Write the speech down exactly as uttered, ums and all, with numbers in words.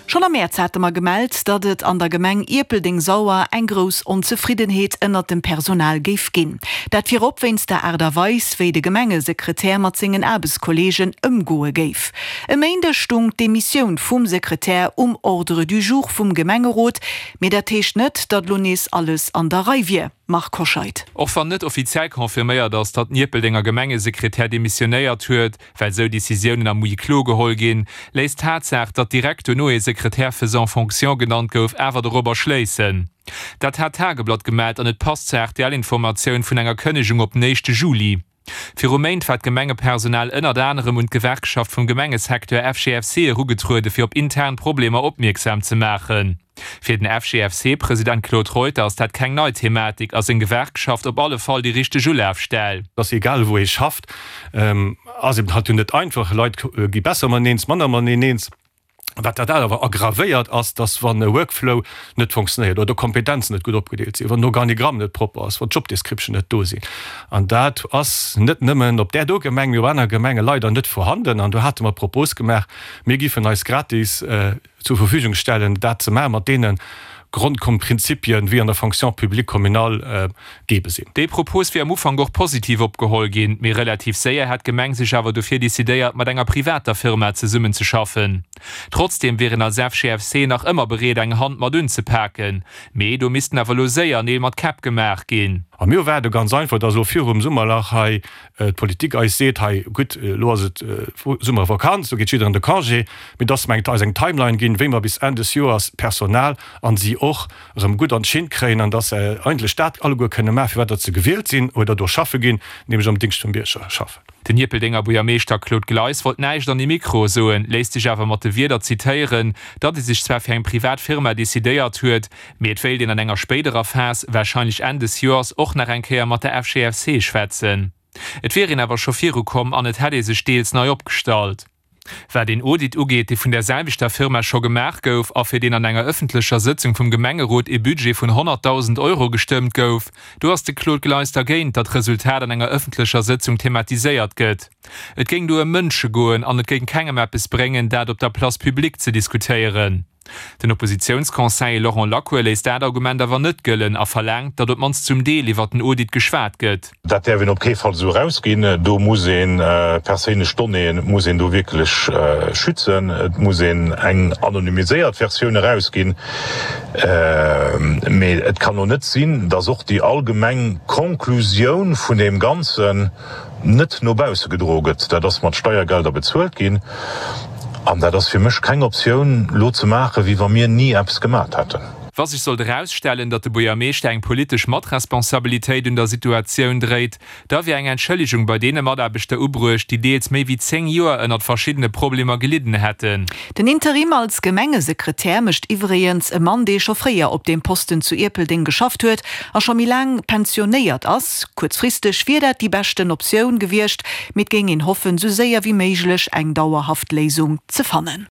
Schonn am Mäerz hate mer gemellt, datt et an der Gemeng Ierpeldeng-Sauer eng grouss Onzefriddenheet ënnert dem Personal géif ginn. Dat virop wéinst der Aart a Weis, wéi de Gemengesekretär mat sengen Aarbechtskolleegen ëmgoe géif. E Méindeg stung d'Demissioun vum Sekretär um Ordre du jour vum Gemengerot, mee dat heescht net, datt lo nees alles an der Rei wier. Marc Hoscheid. Och wann net offiziell confirméiert ass, datt den Ierpeldenger Gemengesekretär demissionéiert huet, well sou Decisiounen am Huis clos geholl ginn, léisst d'Tatsaach, datt direkt dono ee Secrétaire faisant fonction genannt gouf, awer dorobber schléissen. Dat hat d'Tageblatt gemellt an et passt zur R T L-Informatioun vun enger Kënnegung op den éischte Juli. Viru Méint war d'Gemengepersonal ënnert anerem un d'Gewerkschaft vum Gemengesecteur F G F C erugetruede fir op intern Problemer opmierksam ze maachen. Fir den F G F C-President Claude Reuter ass dat keng nei Thematik a seng Gewerkschaft op alle Fall déi richteg Ulafstell. Dass egal wou ee schafft, ass eben halt net einfach, Leit gi besser mateneen eens, manner mateneen eens. Wat dat awer aggravéiert ass, dass wann e Workflow net funktionéiert oder Kompetenzen net gutt opgedeelt sinn, wann den Organigramm net propper ass, wann d'Jobdescription net do sinn. An dat ass net nëmmen op där do Gemeng, mee op aner Gemenge leider net vorhanden. An do hate mer d'Propos gemaach, mir géifen eis gratis zur Verfügung stellen, dat ze maachen, mat deene Grondkomprinzipien, wéi an der Fonction publique communale gebe sinn. Déi Propos wier am Ufank och positiv opgeholl ginn, mee relativ séier hätt d'Gemeng sech awer dofir decidéiert, mat enger privater Firma zesummenzeschaffen. Trotzdeem wier een als F G F C nach ëmmer bereet, eng Hand mat unzepaken. Mee do missten awer lo séier Neel mat Käpp gemaach ginn. A mir erwaarde ganz einfach, dass elo virum Summerlach hei d'Politik eis seet, hei gutt, elo ass et Summervakanz, do geet jiddereen de Congé, mee dass mer eis eng Timeline ginn, wéi mer bis Enn des Joers d'Personal an si och erëm gutt an d'Schinn kréien an dass se eigentlech dat alleguer kënne maachen, fir wat datt se gewielt sinn oder do schaffe ginn, nämlech am Dingscht vum Bierger schaffen. Den Ierpeldenger Buergermeeschter Claude Gleis wollt näischt an de Mikro soen, léisst sech awer mat de Wierder zitéieren, datt ee sech zwar fir eng privat Firma decidéiert huet, mee et wéilt een an enger spéiderer Phas, warscheinlech Enn des Joers, och nach eng Kéier mat der F G F C schwätzen. Et wier een awer scho virukomm an et hätt ee sech deels nei opgestallt. Wat een Audit ugeet, dee vun där selwechter Firma scho gemaach gouf a fir deen an enger ëffentlecher Sëtzung vum Gemengerot ee Budget vun honnertdausend Euro gestëmmt gouf, do ass de Claude Gleis dergéint, datt d'Resultat an enger ëffentlecher Sëtzung thematiséiert gëtt. Et géing do ëm Mënsche goen an et géing kengem eppes bréngen, dat op der Place publique ze diskutéieren. Den Oppositiounsconseiller Laurent Lacour léisst dat Argument awer net gëllen a verlaangt, datt op d'mannst zum Deel iwwer den Audit geschwat gëtt. Dat däerf een op kee Fall esou erausginn. Do muss ee perséinlech Donnéeë muss een do wierklech schützen. Et muss een eng anonymiséiert Versioun erausginn. Mee et kann och net sinn, datt och déi allgemeng Konklusioun vun deem Ganzen net no bausse gedroe gëtt. Dat ass mat Steiergelder bezuelt ginn. An dat ass fir mech keng Optioun, lo ze maachen, wéi wa mir ni eppes gemat hätten. Wa sech sollt erausstellen, datt de Buergermeeschter eng politesch Matresponsabilitéit un der Situatioun dréit, da wier eng Entschëllegung bei deene Mataarbechter ubruecht, déi deels méi wéi zéng Joer ënnert verschiddene Problemer gelidden hätten. Den Interim als Gemengesekretär mécht iwwregens e Mann, dee scho fréier op deem Posten zu Ierpeldeng geschafft huet a scho méi laang pensionéiert ass. Kuerzfristeg wier dat déi beschten Optioun gewiescht, mee et géing een hoffen, sou séier wéi méiglech eng dauerhaft Léisung ze fannen.